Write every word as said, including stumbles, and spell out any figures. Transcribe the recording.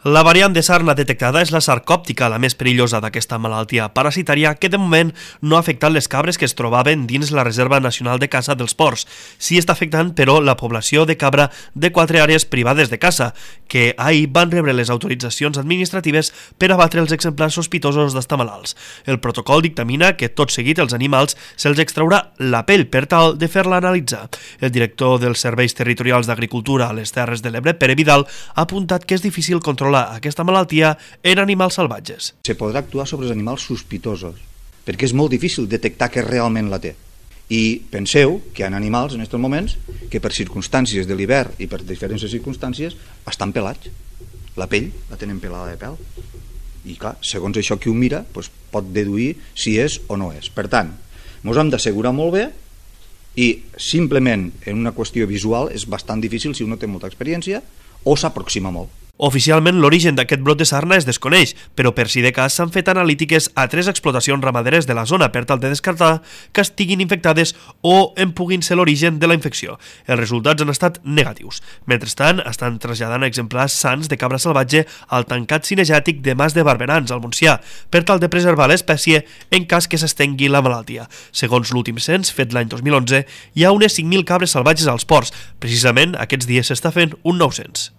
La variant de sarna detectada és la sarcòptica, la més perillosa d'aquesta malaltia parasitària que de moment no ha afectat les cabres que es trobaven dins la Reserva Nacional de Caça dels Ports. Sí està afectant, però, la població de cabra de quatre àrees privades de caça, que ahir van rebre les autoritzacions administratives per abatre els exemplars sospitosos d'estar malalts. El protocol dictamina que tot seguit els animals se'ls extraurà la pell per tal de fer-la analitzar. El director dels Serveis Territorials d'Agricultura a les Terres de l'Ebre, Pere Vidal, ha apuntat que és difícil controlar aquesta malaltia en animals salvatges. Se podrà actuar sobre els animals sospitosos, perquè és molt difícil detectar que realment la té. I penseu que hi ha animals en aquests moments que per circumstàncies de l'hivern i per diferents circumstàncies estan pelats. La pell la tenen pelada de pèl. I clar, segons això qui ho mira, doncs pot deduir si és o no és. Per tant, ens hem d'assegurar molt bé i simplement en una qüestió visual és bastant difícil si un no té molta experiència o s'aproxima molt. Oficialment, l'origen d'aquest brot de sarna es desconeix, però per si de cas s'han fet analítiques a tres explotacions ramaderes de la zona per tal de descartar que estiguin infectades o en puguin ser l'origen de la infecció. Els resultats han estat negatius. Mentrestant, estan traslladant exemplars sants de cabra salvatge al tancat cinegètic de Mas de Barberans, al Montsià, per tal de preservar l'espècie en cas que s'estengui la malaltia. Segons l'últim cens, fet l'any dos mil onze, hi ha unes cinc mil cabres salvatges als ports. Precisament, aquests dies s'està fent un nou cens.